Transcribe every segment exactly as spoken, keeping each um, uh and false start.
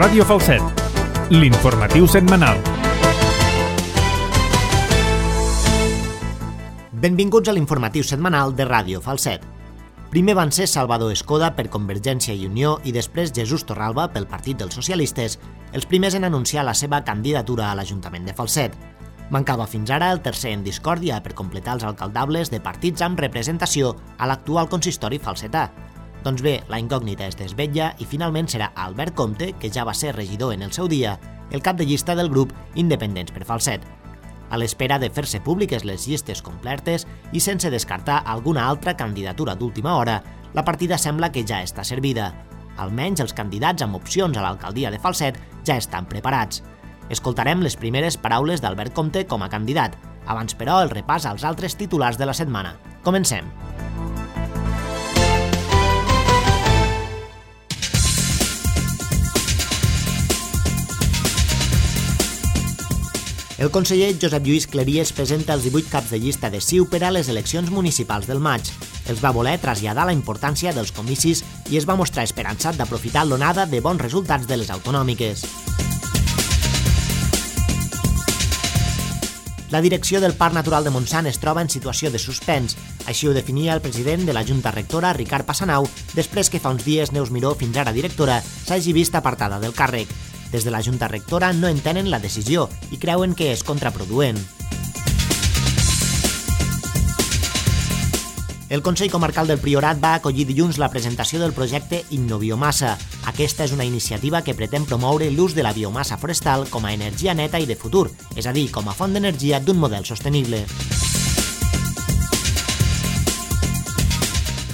Ràdio Falset, l'informatiu setmanal. Benvinguts a l'informatiu setmanal de Ràdio Falset. Primer van ser Salvador Escoda per Convergència i Unió i després Jesús Torralba pel Partit dels Socialistes, els primers en anunciar la seva candidatura a l'Ajuntament de Falset. Mancava fins ara el tercer en discòrdia per completar els alcaldables de partits amb representació a l'actual consistori falsetà. Doncs bé, la incògnita es desvetlla i finalment serà Albert Comte, que ja va ser regidor en el seu dia, el cap de llista del grup Independents per Falset. A l'espera de fer-se públiques les llistes completes i sense descartar alguna altra candidatura d'última hora, la partida sembla que ja està servida. Almenys els candidats amb opcions a l'alcaldia de Falset ja estan preparats. Escoltarem les primeres paraules d'Albert Comte com a candidat. Abans, però, el repàs als altres titulars de la setmana. Comencem. El conseller Josep Lluís Cleries presenta els divuit caps de llista de C I U per a les eleccions municipals del maig. Els va voler traslladar la importància dels comicis i es va mostrar esperançat d'aprofitar l'onada de bons resultats de les autonòmiques. La direcció del Parc Natural de Montsant es troba en situació de suspens. Així ho definia el president de la Junta Rectora, Ricard Passanau, després que fa uns dies Neus Miró, fins ara directora, s'hagi vist apartada del càrrec. Des de la Junta Rectora no entenen la decisió i creuen que és contraproduent. El Consell Comarcal del Priorat va acollir dilluns la presentació del projecte Innobiomassa. Aquesta és una iniciativa que pretén promoure l'ús de la biomassa forestal com a energia neta i de futur, és a dir, com a font d'energia d'un model sostenible.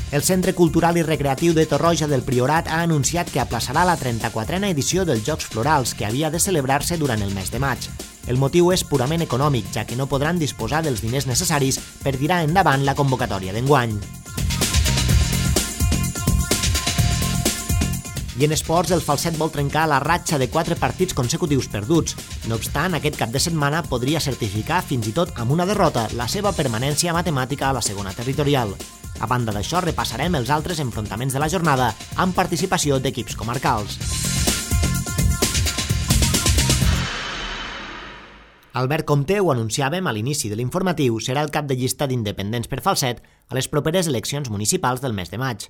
El Centre Cultural i Recreatiu de Torroja del Priorat ha anunciat que aplaçarà la trenta-quatrena edició dels Jocs Florals, que havia de celebrar-se durant el mes de maig. El motiu és purament econòmic, ja que no podran disposar dels diners necessaris per tirar endavant la convocatòria d'enguany. I en esports, el Falset vol trencar la ratxa de quatre partits consecutius perduts. No obstant, aquest cap de setmana podria certificar, fins i tot amb una derrota, la seva permanència matemàtica a la segona territorial. A banda d'això, repassarem els altres enfrontaments de la jornada amb participació d'equips comarcals. Albert Comte, ho anunciàvem a l'inici de l'informatiu, serà el cap de llista d'Independents per Falset a les properes eleccions municipals del mes de maig.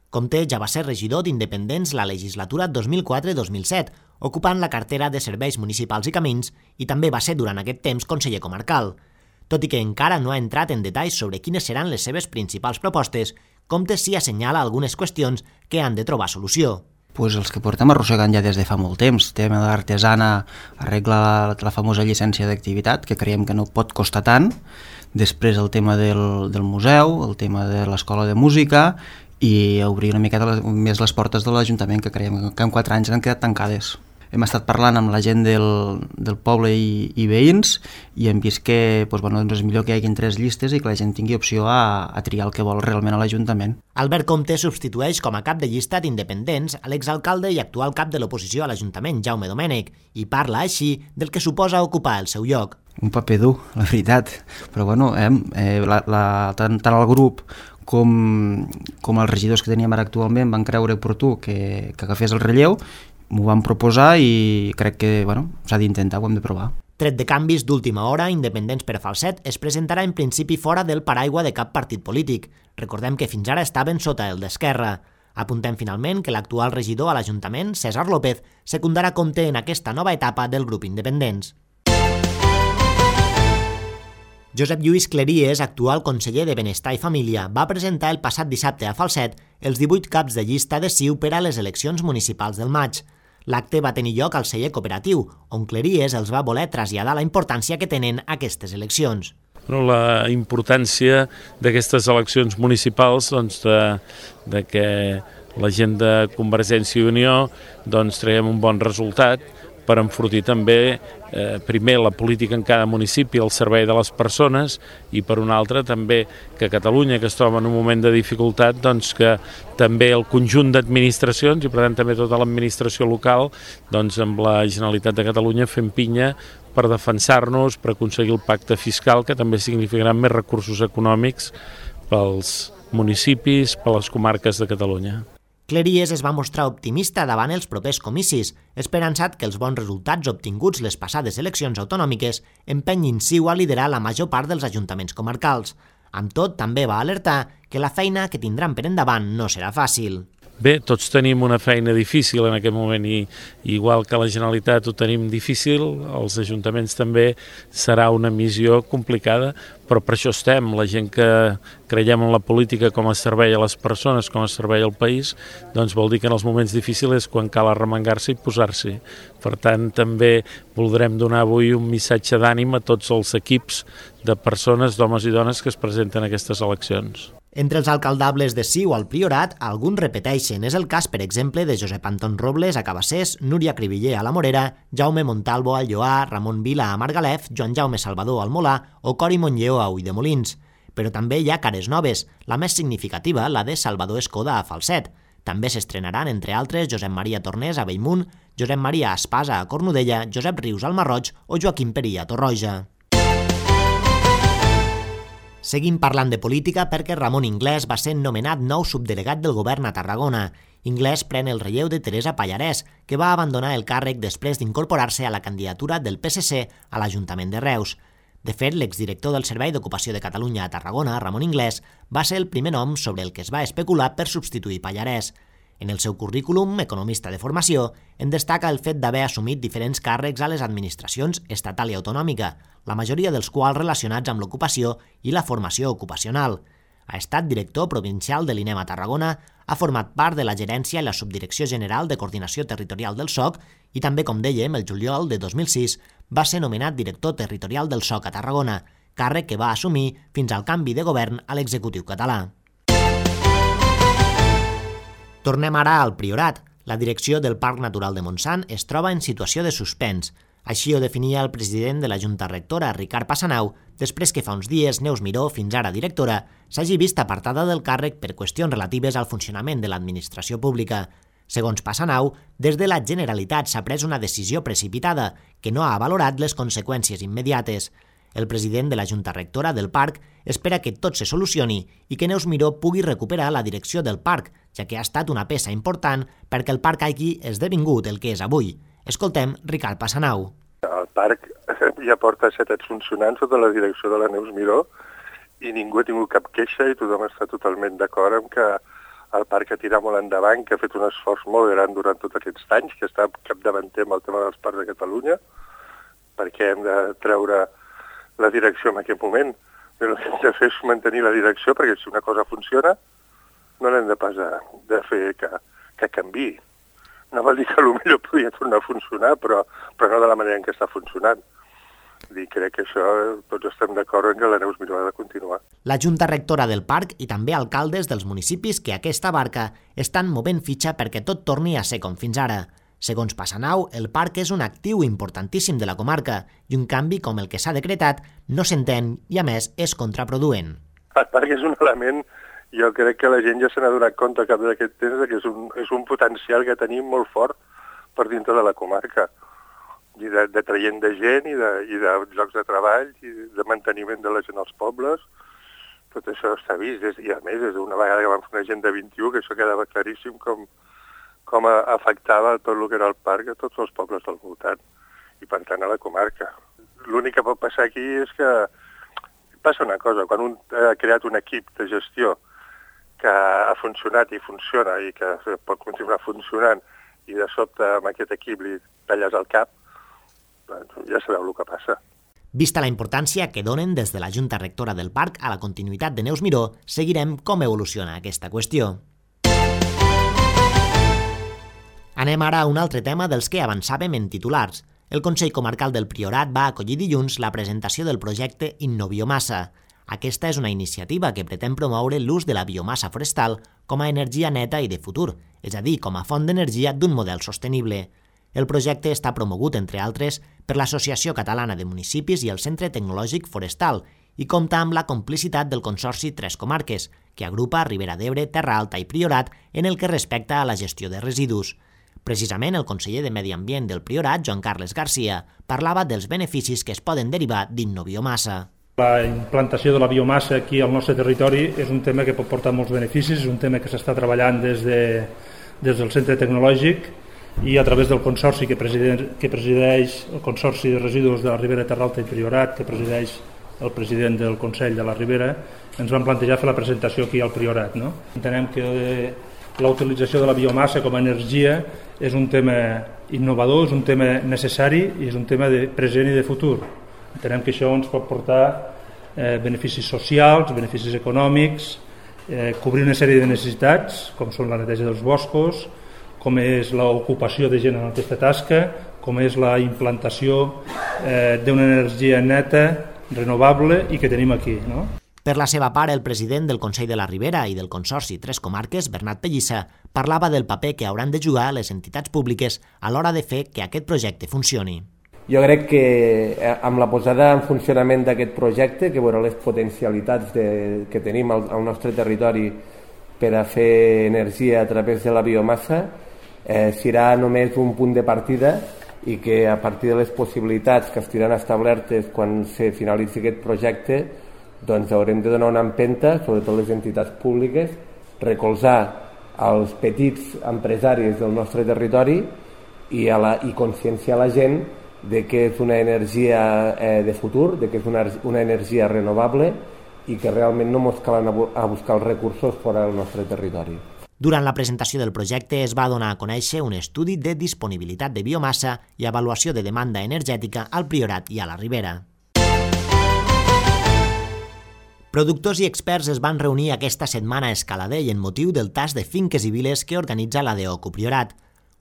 Comte ja va ser regidor d'Independents la legislatura dos mil quatre dos mil set, ocupant la cartera de Serveis Municipals i Camins, i també va ser durant aquest temps conseller comarcal. Tot i que encara no ha entrat en detalls sobre quines seran les seves principals propostes, Comte sí assenyala algunes qüestions que han de trobar solució. Pues els que portem arrossegant ja des de fa molt temps. Tema de l'artesana arregla la, la famosa llicència d'activitat, que creiem que no pot costar tant. Després el tema del, del museu, el tema de l'escola de música i obrir una miqueta les, més les portes de l'Ajuntament, que creiem que en quatre anys han quedat tancades. Hem estat parlant amb la gent del, del poble i, i veïns i hem vist que doncs, bueno, doncs és millor que hi hagin tres llistes i que la gent tingui opció a, a triar el que vol realment a l'Ajuntament. Albert Comte substitueix com a cap de llista d'Independents a l'exalcalde i actual cap de l'oposició a l'Ajuntament, Jaume Domènech, i parla així del que suposa ocupar el seu lloc. Un paper dur, la veritat, però bueno, eh, eh, la, la, tant, tant el grup com, com els regidors que teníem ara actualment van creure oportú que, que agafés el relleu. M'ho van proposar i crec que bueno, s'ha d'intentar, ho hem de provar. Tret de canvis d'última hora, Independents per Falset es presentarà en principi fora del paraigua de cap partit polític. Recordem que fins ara estaven sota el d'Esquerra. Apuntem finalment que l'actual regidor a l'Ajuntament, César López, secundarà Comte en aquesta nova etapa del grup Independents. Josep Lluís Cleries, actual conseller de Benestar i Família, va presentar el passat dissabte a Falset els divuit caps de llista de C I U per a les eleccions municipals del maig. L'acte va tenir lloc al celler cooperatiu, on Cleries els va voler traslladar la importància que tenen aquestes eleccions. La importància d'aquestes eleccions municipals, doncs, de, de que la gent de Convergència i Unió doncs, traiem un bon resultat per enfortir també eh, primer la política en cada municipi al servei de les persones i per una altra també que Catalunya, que es troba en un moment de dificultat, doncs que també el conjunt d'administracions i per tant també tota l'administració local doncs amb la Generalitat de Catalunya fem pinya per defensar-nos, per aconseguir el pacte fiscal que també significarà més recursos econòmics pels municipis, per les comarques de Catalunya. Cleries es va mostrar optimista davant els propers comicis, esperançat que els bons resultats obtinguts les passades eleccions autonòmiques empenyin Ciu a liderar la major part dels ajuntaments comarcals. Amb tot, també va alertar que la feina que tindran per endavant no serà fàcil. Bé, tots tenim una feina difícil en aquest moment i igual que la Generalitat ho tenim difícil, els ajuntaments també serà una missió complicada, però per això estem, la gent que creiem en la política com a servei a les persones, com a servei al país, doncs vol dir que en els moments difícils és quan cal arremangar-se i posar-s'hi. Per tant, també voldrem donar avui un missatge d'ànim a tots els equips de persones, d'homes i dones que es presenten a aquestes eleccions. Entre els alcaldables de Ciu al Priorat, alguns repeteixen. És el cas, per exemple, de Josep Anton Robles a Cabassers, Núria Cribiller a la Morera, Jaume Montalvo al Lloar, Ramon Vila a Margalef, Joan Jaume Salvador al Molà o Cori Montlleó a Ulldemolins. Però també hi ha cares noves, la més significativa, la de Salvador Escoda a Falset. També s'estrenaran, entre altres, Josep Maria Tornés a Bellmunt, Josep Maria Espasa a Cornudella, Josep Rius al Marroig o Joaquim Perí a Torroja. Seguim parlant de política perquè Ramon Inglés va ser nomenat nou subdelegat del govern a Tarragona. Inglés pren el relleu de Teresa Pallarès, que va abandonar el càrrec després d'incorporar-se a la candidatura del P S C a l'Ajuntament de Reus. De fet, l'exdirector del Servei d'Ocupació de Catalunya a Tarragona, Ramon Inglés, va ser el primer nom sobre el que es va especular per substituir Pallarès. En el seu currículum, economista de formació, en destaca el fet d'haver assumit diferents càrrecs a les administracions estatal i autonòmica, la majoria dels quals relacionats amb l'ocupació i la formació ocupacional. Ha estat director provincial de l'I N E M a Tarragona, ha format part de la gerència i la subdirecció general de coordinació territorial del S O C i també, com dèiem, el juliol de dos mil sis va ser nomenat director territorial del S O C a Tarragona, càrrec que va assumir fins al canvi de govern a l'executiu català. Tornem ara al Priorat. La direcció del Parc Natural de Montsant es troba en situació de suspens. Així ho definia el president de la Junta Rectora, Ricard Passanau, després que fa uns dies Neus Miró, fins ara directora, s'hagi vist apartada del càrrec per qüestions relatives al funcionament de l'administració pública. Segons Passanau, des de la Generalitat s'ha pres una decisió precipitada que no ha valorat les conseqüències immediates. El president de la Junta Rectora del Parc espera que tot se solucioni i que Neus Miró pugui recuperar la direcció del parc, ja que ha estat una peça important perquè el parc hagi esdevingut el que és avui. Escoltem Ricard Passanau. El parc ja porta set anys funcionant sota la direcció de la Neus Miró i ningú ha tingut cap queixa i tothom està totalment d'acord amb que el parc ha tirat molt endavant, que ha fet un esforç molt gran durant tots aquests anys, que està capdavanter amb el tema dels parcs de Catalunya, perquè hem de treure la direcció en aquest moment. El que hem de fer és mantenir la direcció, perquè si una cosa funciona, no l'hem de pas de fer que, que canviï. No vol dir que potser podria tornar a funcionar, però, però no de la manera en què està funcionant. I crec que això tots estem d'acord en que la Neus Miró ha de continuar. La Junta Rectora del Parc i també alcaldes dels municipis que aquesta abarca estan movent fitxa perquè tot torni a ser com fins ara. Segons Passanau, el parc és un actiu importantíssim de la comarca i un canvi com el que s'ha decretat no s'entén i, a més, és contraproduent. El parc és un element, jo crec que la gent ja se n'ha donat compte al cap d'aquest temps que és un, és un potencial que tenim molt fort per dintre de la comarca, i de, de traient de gent i de, i de llocs de treball i de manteniment de la gent als pobles. Tot això està vist, i a més, des d'una vegada que vam fer una agenda vint-i-u, que això quedava claríssim com com afectava tot el que era el parc a tots els pobles del voltant i, per tant, a la comarca. L'únic que pot passar aquí és que passa una cosa, quan un ha creat un equip de gestió que ha funcionat i funciona i que pot continuar funcionant i de sobte amb aquest equip li talles el cap, doncs ja sabeu el que passa. Vista la importància que donen des de la Junta Rectora del Parc a la continuïtat de Neus Miró, seguirem com evoluciona aquesta qüestió. Anem ara a un altre tema dels que avançàvem en titulars. El Consell Comarcal del Priorat va acollir dilluns la presentació del projecte Innobiomassa. Aquesta és una iniciativa que pretén promoure l'ús de la biomassa forestal com a energia neta i de futur, és a dir, com a font d'energia d'un model sostenible. El projecte està promogut, entre altres, per l'Associació Catalana de Municipis i el Centre Tecnològic Forestal i compta amb la complicitat del Consorci Tres Comarques, que agrupa Ribera d'Ebre, Terra Alta i Priorat en el que respecta a la gestió de residus. Precisament el conseller de Medi Ambient del Priorat, Joan Carles Garcia, parlava dels beneficis que es poden derivar d'Innobiomassa. La implantació de la biomassa aquí al nostre territori és un tema que pot portar molts beneficis, és un tema que s'està treballant des de, des del centre tecnològic i a través del consorci que presideix, que presideix el Consorci de Residus de la Ribera Terra Alta i Priorat, que presideix el president del Consell de la Ribera, ens van plantejar fer la presentació aquí al Priorat. No? Entenem que la utilització de la biomassa com a energia és un tema innovador, és un tema necessari i és un tema de present i de futur. Entenem que això ens pot portar eh, beneficis socials, beneficis econòmics, eh, cobrir una sèrie de necessitats, com són la neteja dels boscos, com és l'ocupació de gent en aquesta tasca, com és la implantació eh, d'una energia neta, renovable i que tenim aquí. No? Per la seva part, el president del Consell de la Ribera i del Consorci Tres Comarques, Bernat Pellissa, parlava del paper que hauran de jugar les entitats públiques a l'hora de fer que aquest projecte funcioni. Jo crec que amb la posada en funcionament d'aquest projecte, que veurà les potencialitats de, que tenim al, al nostre territori per a fer energia a través de la biomassa, eh, serà només un punt de partida i que a partir de les possibilitats que estiran establertes quan se finalitzi aquest projecte, doncs haurem de donar una empenta, sobretot les entitats públiques, recolzar els petits empresaris del nostre territori i, a la, i conscienciar la gent de que és una energia eh, de futur, de que és una, una energia renovable i que realment no ens calen a buscar els recursos fora del nostre territori. Durant la presentació del projecte es va donar a conèixer un estudi de disponibilitat de biomassa i avaluació de demanda energètica al Priorat i a la Ribera. Productors i experts es van reunir aquesta setmana a Escaladell en motiu del tas de finques i viles que organitza la DEOCU Priorat.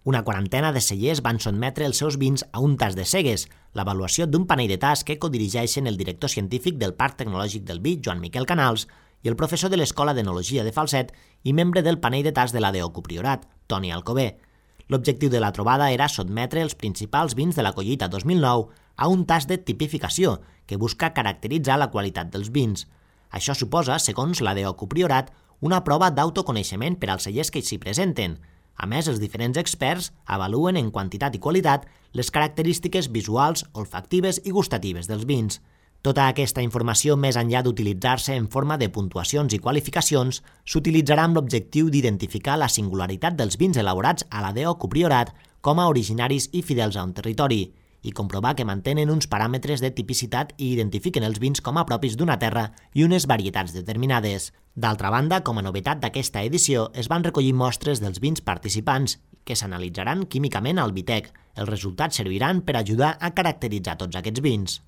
Una quarantena de cellers van sotmetre els seus vins a un tas de cegues, l'avaluació d'un panell de tas que codirigeixen el director científic del Parc Tecnològic del Vi, Joan Miquel Canals, i el professor de l'Escola d'Enologia de Falset i membre del panell de tas de la DEOCU Priorat, Toni Alcover. L'objectiu de la trobada era sotmetre els principals vins de la collita dos mil nou a un tas de tipificació que busca caracteritzar la qualitat dels vins. Això suposa, segons la DEOCU Priorat, una prova d'autoconeixement per als cellers que s'hi presenten. A més, els diferents experts avaluen en quantitat i qualitat les característiques visuals, olfactives i gustatives dels vins. Tota aquesta informació, més enllà d'utilitzar-se en forma de puntuacions i qualificacions, s'utilitzarà amb l'objectiu d'identificar la singularitat dels vins elaborats a la DEOCU Priorat com a originaris i fidels a un territori, i comprovar que mantenen uns paràmetres de tipicitat i identifiquen els vins com a propis d'una terra i unes varietats determinades. D'altra banda, com a novetat d'aquesta edició, es van recollir mostres dels vins participants, que s'analitzaran químicament al Vitec. Els resultats serviran per ajudar a caracteritzar tots aquests vins.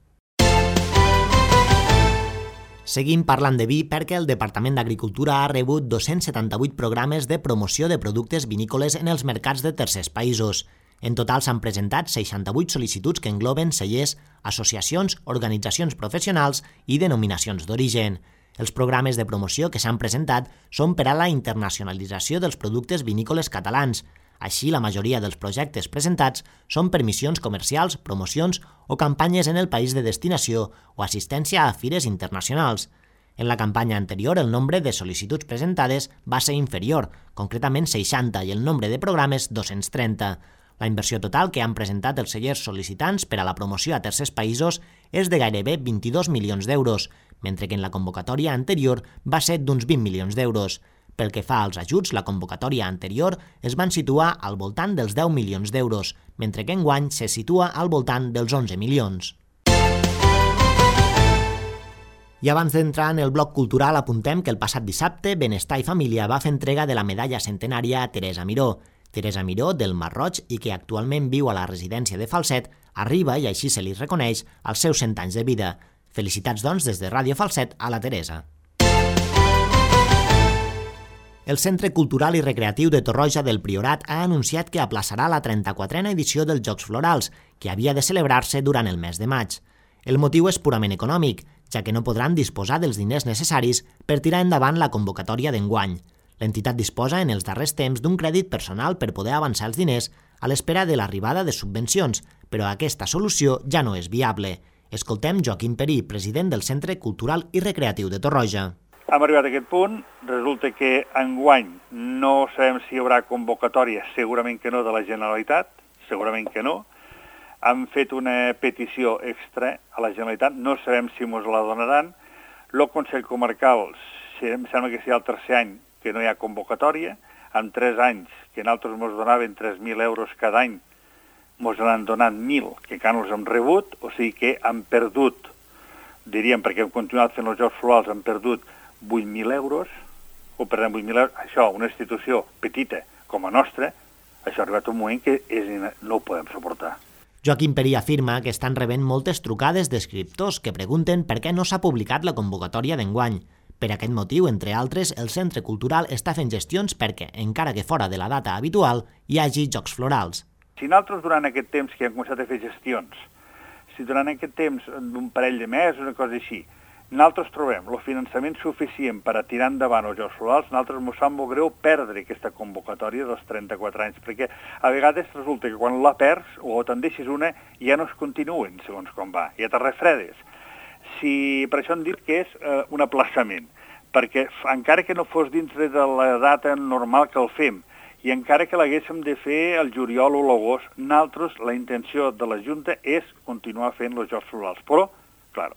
Seguim parlant de vi perquè el Departament d'Agricultura ha rebut dos-cents setanta-vuit programes de promoció de productes vinícoles en els mercats de tercers països. En total s'han presentat seixanta-vuit sol·licituds que engloben cellers, associacions, organitzacions professionals i denominacions d'origen. Els programes de promoció que s'han presentat són per a la internacionalització dels productes vinícoles catalans. Així, la majoria dels projectes presentats són per missions comercials, promocions o campanyes en el país de destinació o assistència a fires internacionals. En la campanya anterior, el nombre de sol·licituds presentades va ser inferior, concretament seixanta, i el nombre de programes dos-cents trenta. La inversió total que han presentat els cellers sol·licitants per a la promoció a tercers països és de gairebé vint-i-dos milions d'euros, mentre que en la convocatòria anterior va ser d'uns vint milions d'euros. Pel que fa als ajuts, la convocatòria anterior es van situar al voltant dels deu milions d'euros, mentre que enguany se situa al voltant dels onze milions. I abans d'entrar en el bloc cultural, apuntem que el passat dissabte Benestar i Família va fer entrega de la medalla centenària a Teresa Miró. Teresa Miró, del Masroig i que actualment viu a la residència de Falset, arriba, i així se li reconeix, als seus cent anys de vida. Felicitats, doncs, des de Ràdio Falset a la Teresa. El Centre Cultural i Recreatiu de Torroja del Priorat ha anunciat que aplaçarà la trenta-quatrena edició dels Jocs Florals, que havia de celebrar-se durant el mes de maig. El motiu és purament econòmic, ja que no podran disposar dels diners necessaris per tirar endavant la convocatòria d'enguany. L'entitat disposa en els darrers temps d'un crèdit personal per poder avançar els diners a l'espera de l'arribada de subvencions, però aquesta solució ja no és viable. Escoltem Joaquim Perí, president del Centre Cultural i Recreatiu de Torroja. Hem arribat a aquest punt, resulta que enguany no sabem si hi haurà convocatòria, segurament que no, de la Generalitat, segurament que no. Hem fet una petició extra a la Generalitat, no sabem si ens la donaran. El Consell Comarcal, em sembla que serà el tercer any que no hi ha convocatòria. en tres anys, que nosaltres ens donaven tres mil euros cada any, ens n'han donat mil, que encara no els hem rebut, o sigui que han perdut, diríem, perquè hem continuat fent els Jocs Florals, han perdut vuit mil euros, o perdem vuit mil euros, això, una institució petita com a nostra, això ha arribat un moment que és, no ho podem suportar. Joaquim Perí afirma que estan rebent moltes trucades d'escriptors que pregunten per què no s'ha publicat la convocatòria d'enguany. Per aquest motiu, entre altres, el Centre Cultural està fent gestions perquè, encara que fora de la data habitual, hi hagi Jocs Florals. Si nosaltres durant aquest temps que hem començat a fer gestions, si durant aquest temps d'un parell de mesos, una cosa així, nosaltres trobem el finançament suficient per a tirar endavant els Jocs Florals, nosaltres ens sap molt greu perdre aquesta convocatòria dels trenta-quatre anys, perquè a vegades resulta que quan la perds o te'n deixes una ja no es continuen segons com va, ja te refredes. Si, per això hem dit que és eh, un aplaçament, perquè encara que no fos dintre de la data normal que el fem, i encara que l'haguéssim de fer el juliol o l'agost, nosaltres, la intenció de la Junta és continuar fent els Jocs Florals. Però, clar,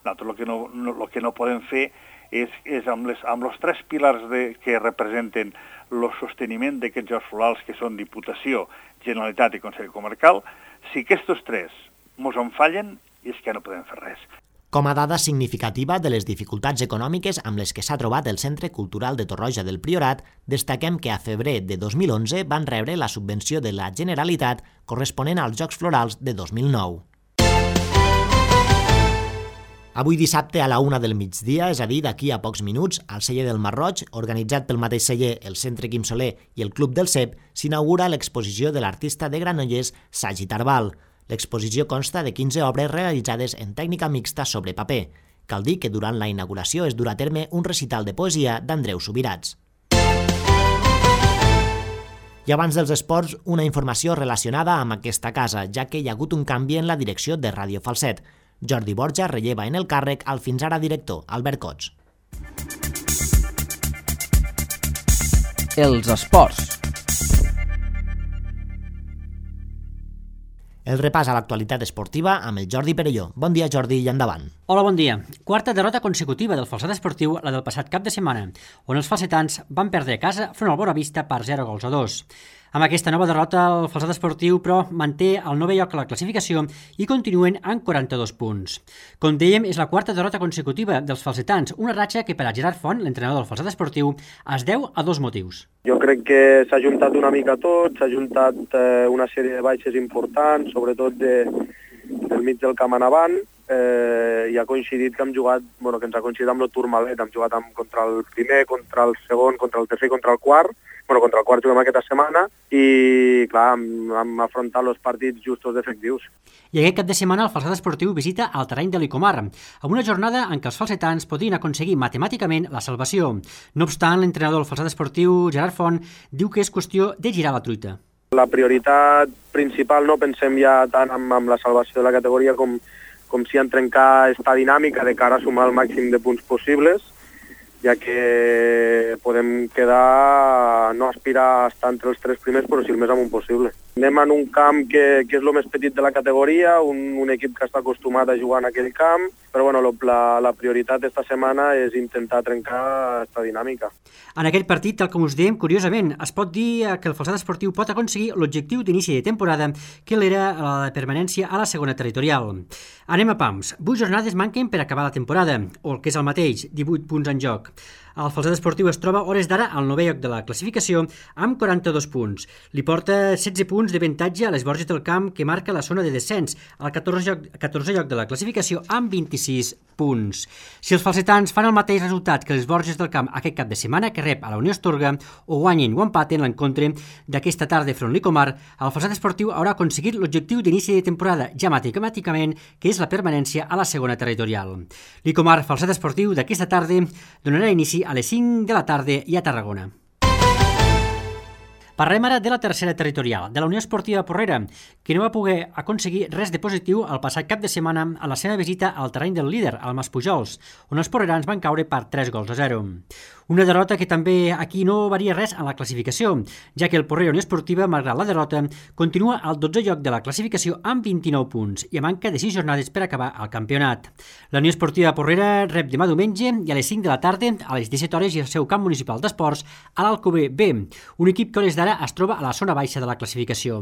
nosaltres el que no, no, el que no podem fer és, és amb, les, amb els tres pilars de, que representen el sosteniment d'aquests Jocs Florals, que són Diputació, Generalitat i Consell Comarcal, si aquests tres ens en fallen, és que no podem fer res. Com a dada significativa de les dificultats econòmiques amb les que s'ha trobat el Centre Cultural de Torroja del Priorat, destaquem que a febrer de dos mil onze van rebre la subvenció de la Generalitat corresponent als Jocs Florals de dos mil nou. Avui dissabte a la una del migdia, és a dir, d'aquí a pocs minuts, al celler del Marroig, organitzat pel mateix celler, el Centre Quim Soler i el Club del Cep, s'inaugura l'exposició de l'artista de Granollers Sagi Tarbal. L'exposició consta de quinze obres realitzades en tècnica mixta sobre paper. Cal dir que durant la inauguració es durà a terme un recital de poesia d'Andreu Subirats. I abans dels esports, una informació relacionada amb aquesta casa, ja que hi ha hagut un canvi en la direcció de Ràdio Falset. Jordi Borja relleva en el càrrec al fins ara director, Albert Cots. Els esports. El repàs a l'actualitat esportiva amb el Jordi Perelló. Bon dia, Jordi, i endavant. Hola, bon dia. Quarta derrota consecutiva del Falset Esportiu, la del passat cap de setmana, on els falsetans van perdre a casa front al Boavista per zero gols a dos. Amb aquesta nova derrota, el Falset Esportiu, però, manté el novè lloc a la classificació i continuen amb quaranta-dos punts. Com dèiem, és la quarta derrota consecutiva dels falsetans, una ratxa que per a Gerard Font, l'entrenador del Falset Esportiu, es deu a dos motius. Jo crec que s'ha juntat una mica tot, s'ha juntat eh, una sèrie de baixes importants, sobretot de, del mig del camp en avant, eh, i ha coincidit que hem jugat, bueno, que ens ha coincidit amb el Tourmalet, hem jugat amb, contra el primer, contra el segon, contra el tercer i contra el quart, bueno, contra el quart juguem aquesta setmana i, clar, hem, hem afrontat els partits justos d'efectius. I aquest cap de setmana el Falset Esportiu visita el terreny de l'Icomar, amb una jornada en què els falsetans podrien aconseguir matemàticament la salvació. No obstant, l'entrenador del Falset Esportiu, Gerard Font, diu que és qüestió de girar la truita. La prioritat principal no pensem ja tant en, en la salvació de la categoria com, com si en trencar esta dinàmica de cara a sumar el màxim de punts possibles, ja que podem quedar, no aspirar a estar entre els tres primers, però sí el més amunt possible. Anem en un camp que, que és el més petit de la categoria, un, un equip que està acostumat a jugar en aquell camp, però bueno, la, la prioritat d'esta setmana és intentar trencar aquesta dinàmica. En aquest partit, tal com us dèiem, curiosament, es pot dir que el Falset Esportiu pot aconseguir l'objectiu d'inici de temporada, que l'era la permanència a la segona territorial. Anem a pams. Vuit jornades manquen per acabar la temporada, o el que és el mateix, divuit punts en joc. El Falset Esportiu es troba hores d'ara al novè lloc de la classificació amb quaranta-dos punts. Li porta setze punts d'avantatge a les Borges del Camp, que marca la zona de descens, al catorzè lloc, catorzè lloc de la classificació amb vint-i-sis punts. Si els falsetans fan el mateix resultat que les Borges del Camp aquest cap de setmana, que rep a la Unió Astorga, o guanyen o empaten l'encontre d'aquesta tarda front l'Icomar, el Falset Esportiu haurà aconseguit l'objectiu d'inici de temporada ja matemàticament, que és la permanència a la segona territorial. L'Icomar Falset Esportiu d'aquesta tarda donarà inici a les cinc de la tarda i a Tarragona. Parlem ara de la tercera territorial, de la Unió Esportiva Porrera, que no va poder aconseguir res de positiu el passat cap de setmana a la seva visita al terreny del líder, al Maspujols, on els porrerans van caure per tres gols a zero. Una derrota que també aquí no varia res en la classificació, ja que el Porrera Unió Esportiva, malgrat la derrota, continua al dotzè lloc de la classificació amb vint-i-nou punts i a manca de sis jornades per acabar el campionat. La Unió Esportiva Porrera rep demà diumenge i a les cinc de la tarda, a les disset hores, i al seu camp municipal d'esports, a l'Alcover B, un equip que a hores d'ara es troba a la zona baixa de la classificació.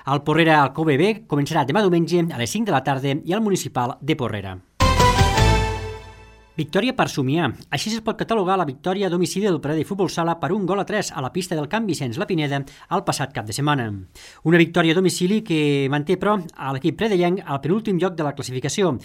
El Porrera Alcover B començarà demà diumenge a les cinc de la tarda i al municipal de Porrera. Victòria per somiar. Així es pot catalogar la victòria a domicili del Pradell Futbol Sala per un gol a tres a la pista del Camp Vicenç La Pineda el passat cap de setmana. Una victòria a domicili que manté, però, a l'equip predellenc al penúltim lloc de la classificació.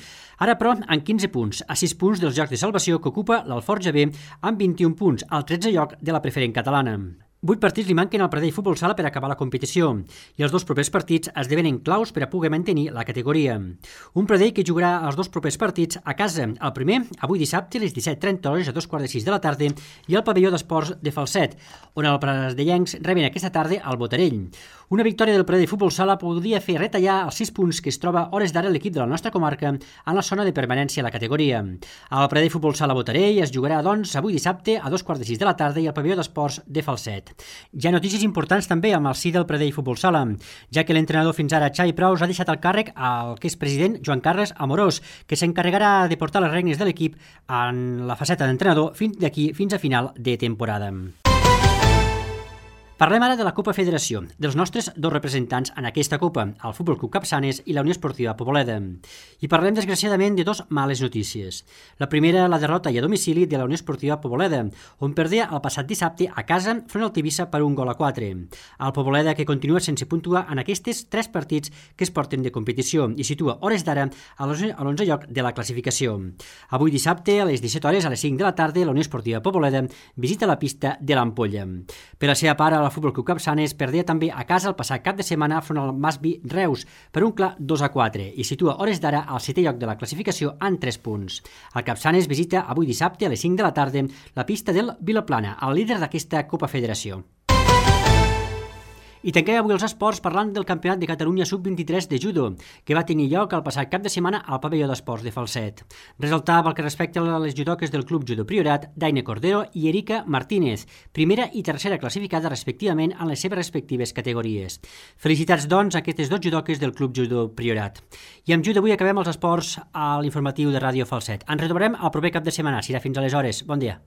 Ara, però, amb quinze punts, a sis punts dels llocs de salvació que ocupa l'Alforja B amb vint-i-un punts, al tretzè lloc de la preferent catalana. Vuit partits li manquen al Pradell Futbol Sala per acabar la competició i els dos propers partits esdevenen claus per a poder mantenir la categoria. Un Pradell que jugarà els dos propers partits a casa, el primer avui dissabte a les disset trenta hores a dos quarts de sis de la tarda i al pavelló d'esports de Falset, on els pradellencs reben aquesta tarda al Botarell. Una victòria del Pradell Futbol Sala podria fer retallar els sis punts que es troba hores d'ara l'equip de la nostra comarca en la zona de permanència a la categoria. El Pradell Futbol Sala Botarell es jugarà, doncs, avui dissabte a dos quarts de sis de la tarda i al pavelló d'esports de Falset. Hi ha notícies importants també amb el si del Pradell Futbol Sala, ja que l'entrenador fins ara, Xavi Praus, ha deixat el càrrec al que és president Joan Carles Amorós, que s'encarregarà de portar les regnes de l'equip en la faceta d'entrenador fins d'aquí fins a final de temporada. Parlem ara de la Copa Federació, dels nostres dos representants en aquesta Copa, el Futbol Club Capçanes i la Unió Esportiva Poboleda. I parlem, desgraciadament, de dos males notícies. La primera, la derrota i a domicili de la Unió Esportiva Poboleda, on perdia el passat dissabte a casa front al Tivissa per un gol a quatre. El Poboleda, que continua sense puntuar en aquests tres partits que es porten de competició i situa hores d'ara a l'onzè lloc de la classificació. Avui dissabte, a les disset hores, a les cinc de la tarda, la Unió Esportiva Poboleda visita la pista de l'Ampolla. Per la seva part, el Futbol Club Capçanes perdia també a casa el passat cap de setmana front al Masvi Reus per un clar dos a quatre i situa hores d'ara al setè lloc de la classificació en tres punts. El Capçanes visita avui dissabte a les cinc de la tarda la pista del Vilaplana, el líder d'aquesta Copa Federació. I tanquem avui els esports parlant del Campionat de Catalunya sub vint-i-tres de judo, que va tenir lloc el passat cap de setmana al pavelló d'esports de Falset. Resaltar pel que respecta a les judoques del Club Judo Priorat, Daine Cordero i Erika Martínez, primera i tercera classificada respectivament en les seves respectives categories. Felicitats, doncs, a aquestes dos judoques del Club Judo Priorat. I amb judo avui acabem els esports a l'informatiu de Ràdio Falset. Ens retrobarem el proper cap de setmana. Serà fins aleshores. Bon dia.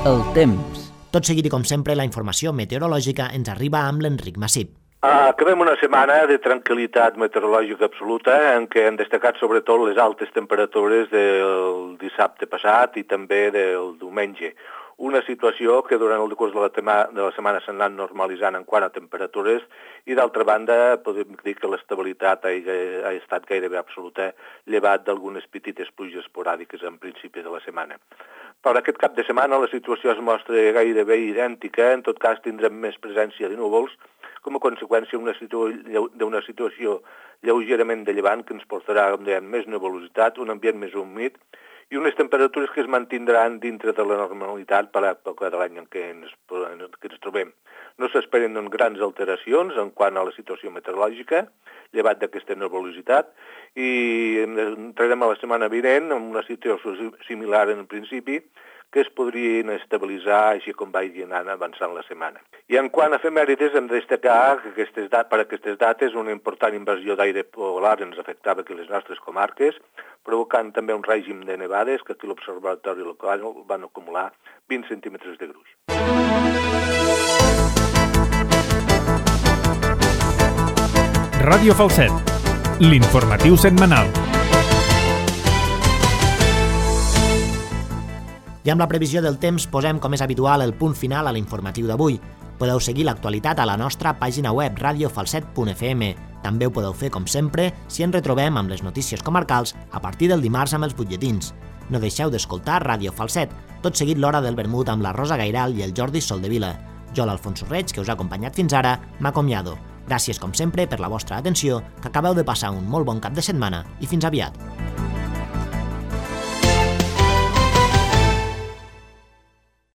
El temps. Tot seguit i com sempre, la informació meteorològica ens arriba amb l'Enric Massip. Acabem una setmana de tranquil·litat meteorològica absoluta en què han destacat sobretot les altes temperatures del dissabte passat i també del diumenge. Una situació que durant el curs de la, tema, de la setmana s'ha anat normalitzant en quant a temperatures i d'altra banda podem dir que l'estabilitat ha, ha estat gairebé absoluta, llevat d'algunes petites pluges esporàdiques en principi de la setmana. Per aquest cap de setmana la situació es mostra gairebé idèntica, en tot cas tindrem més presència de núvols, com a conseqüència d'una situa d'una situació lleugerament de llevant que ens portarà dèiem, més nuvolositat, un ambient més humit i unes temperatures que es mantindran dintre de la normalitat per l'època de l'any en què ens, que ens trobem. No s'esperen grans alteracions en quant a la situació meteorològica, llevat d'aquesta nuvolositat, i entrarem a la setmana vinent amb una situació similar en principi, que es podrien estabilitzar així com vagi anant avançant la setmana. I en quant a efemèrides, hem de destacar que aquestes dat per aquestes dates una important invasió d'aire polar ens afectava aquí les nostres comarques, provocant també un règim de nevades que aquí l'observatori local van acumular vint centímetres de gruix. Ràdio Falset, l'informatiu setmanal. I amb la previsió del temps posem, com és habitual, el punt final a l'informatiu d'avui. Podeu seguir l'actualitat a la nostra pàgina web radio falset punt f m. També ho podeu fer, com sempre, si ens retrobem amb les notícies comarcals a partir del dimarts amb els butlletins. No deixeu d'escoltar Ràdio Falset, tot seguit l'hora del vermut amb la Rosa Gairal i el Jordi Soldevila. Jo, l'Alfonso Reig, que us ha acompanyat fins ara, m'acomiado. Gràcies, com sempre, per la vostra atenció, que acabeu de passar un molt bon cap de setmana i fins aviat.